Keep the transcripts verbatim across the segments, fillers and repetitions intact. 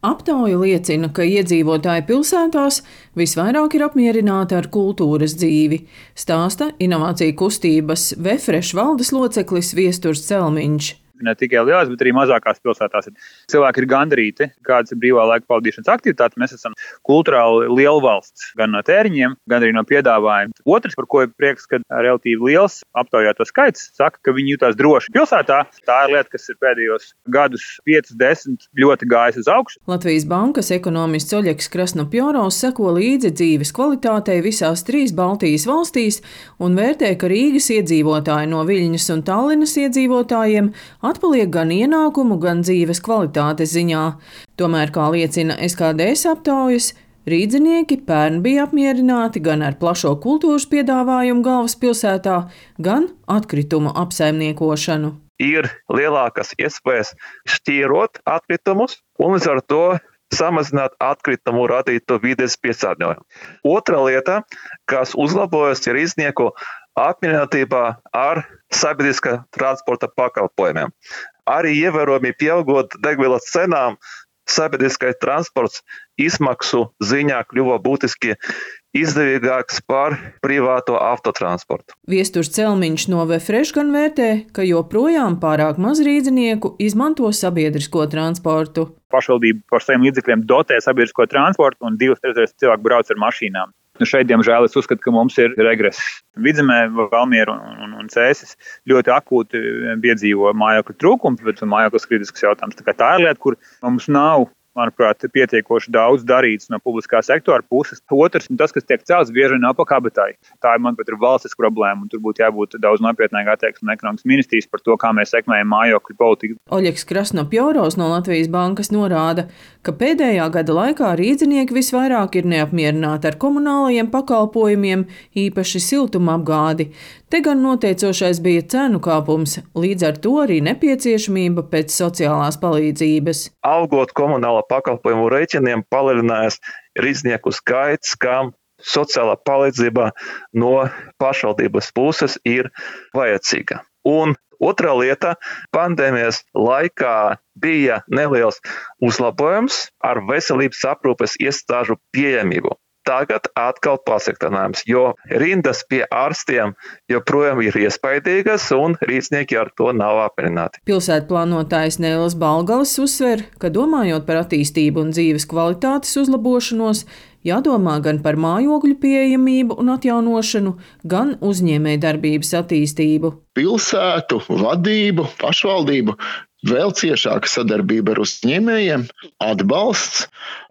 Aptauja liecina, ka iedzīvotāji pilsētās visvairāk ir apmierināti ar kultūras dzīvi, stāsta inovāciju kustības Vefresh valdes loceklis Viesturs Celmiņš. Ne tikai lielās, bet arī mazākās pilsētās. Cilvēki ir gandarīti, kādas ir brīvā laika pavadīšanas aktivitātes. Mēs esam kulturāli liela valsts, gan no tēriņiem, gan arī no piedāvājuma. Otrs, par ko ir prieks, ka relatīvi liels aptaujāto skaits saka, ka viņi jutās droši pilsētā. Tā ir lieta, kas ir pēdējos gadus piecus, desmit ļoti gājis uz augšu. Latvijas Bankas ekonomists Oļegs Krasnopjorovs seko līdzi dzīves kvalitātei visās trīs Baltijas valstīs un vērtē, ka Rīgas iedzīvotāji no Viļņas un Tallinas iedzīvotājiem atpaliek gan ienākumu, gan dzīves kvalitātes ziņā. Tomēr, kā liecina S K D S aptaujas, rīdzinieki pērn bija apmierināti gan ar plašo kultūras piedāvājumu galvaspilsētā, gan atkritumu apsaimniekošanu. Ir lielākas iespējas šķīrot atkritumus un līdz ar to samazināt atkritumu radīto vides piesārņojumu. Otra lieta, kas uzlabojas, ir rīdznieku apmierinātībā ar sabiedriskā transporta pakalpojumiem. Arī ievērojami pieaugot degvielas cenām, sabiedriskais transports izmaksu ziņā kļuva būtiski izdevīgāks par privāto autotransportu. Viesturs Celmiņš no Vefresh gan vērtē, ka joprojām pārāk maz rīdzinieku izmanto sabiedrisko transportu. Pašvaldība par saviem līdzekļiem dotē sabiedrisko transportu un divas trešdaļas cilvēku brauc ar mašīnām. Nu šeit, diemžēl, es uzskatu, ka mums ir regress. Vidzemē, Valmiera un, un, un Cēsis ļoti akūti piedzīvo mājokļu trūkumu, bet mājoklis kritisks jautājums. Tā kā tā ir lieta, kur mums nav, manuprāt, pietiekoši daudz darīts no publiskā sektora puses. Otrs, tas, kas tiek celts, bieži nav pa kabatai. Tā ir, manuprāt, ir valstis problēma, un tur būtu jābūt daudz nopietnāk attieksmei no ekonomikas ministrijas par to, kā mēs sekmējam mājokļu politiku. Oļegs Krasnopjorovs no Latvijas Bankas norāda, ka pēdējā gada laikā rīdzinieki visvairāk ir neapmierināti ar komunālajiem pakalpojumiem, īpaši siltumapgādi. Te gan noteicošais bija cenu kāpums, līdz ar to arī nepieciešamība pēc sociālās palīdzības. Augot komunāla pakalpojumu rēķiniem palielinājās rīdznieku skaits, kam sociālā palīdzība no pašvaldības puses ir vajadzīga. Un otrā lieta, pandēmijas laikā bija neliels uzlabojums ar veselības aprūpes iestāžu pieejamību. Tagad atkal pasliktinājums, jo rindas pie ārstiem joprojām ir iespaidīgas un rīdznieki ar to nav apmierināti. Pilsētplānotājs Nēlis Balgalis uzsver, ka domājot par attīstību un dzīves kvalitātes uzlabošanos, jādomā gan par mājokļu pieejamību un atjaunošanu, gan uzņēmējdarbības attīstību. Pilsētu, vadību, pašvaldību, vēl ciešāka sadarbība ar uzņēmējiem, atbalsts,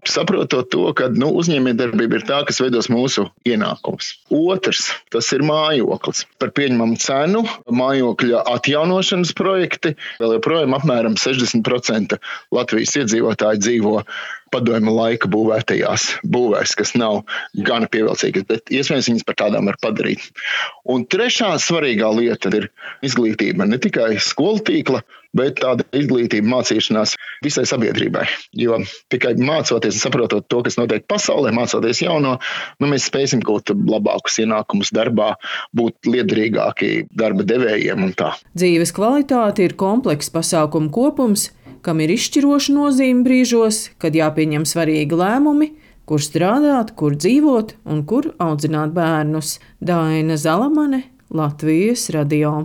saprotot to, ka nu, uzņēmējdarbība ir tā, kas veidos mūsu ienākumus. Otrs, tas ir mājoklis. Par pieņemamu cenu mājokļa atjaunošanas projekti, vēl joprojām apmēram sešdesmit procenti Latvijas iedzīvotāji dzīvo padomju laika būvētajās būvēs, kas nav gana pievilcīgas, bet iespējams viņas par tādām var padarīt. Un trešā svarīgā lieta ir izglītība, ne tikai skolu tīkla, bet tāda izglītība mācīšanās visai sabiedrībai. Jo tikai mācoties un saprotot to, kas notiek pasaulē, mācoties jauno, nu, mēs spēsim gūt labākus ienākumus darbā, būt liederīgāki darba devējiem un tā. Dzīves kvalitāte ir komplekss pasākumu kopums, kam ir izšķiroša nozīme brīžos, kad jāpieņem svarīgi lēmumi, kur strādāt, kur dzīvot un kur audzināt bērnus. Daina Zalamane, Latvijas radio.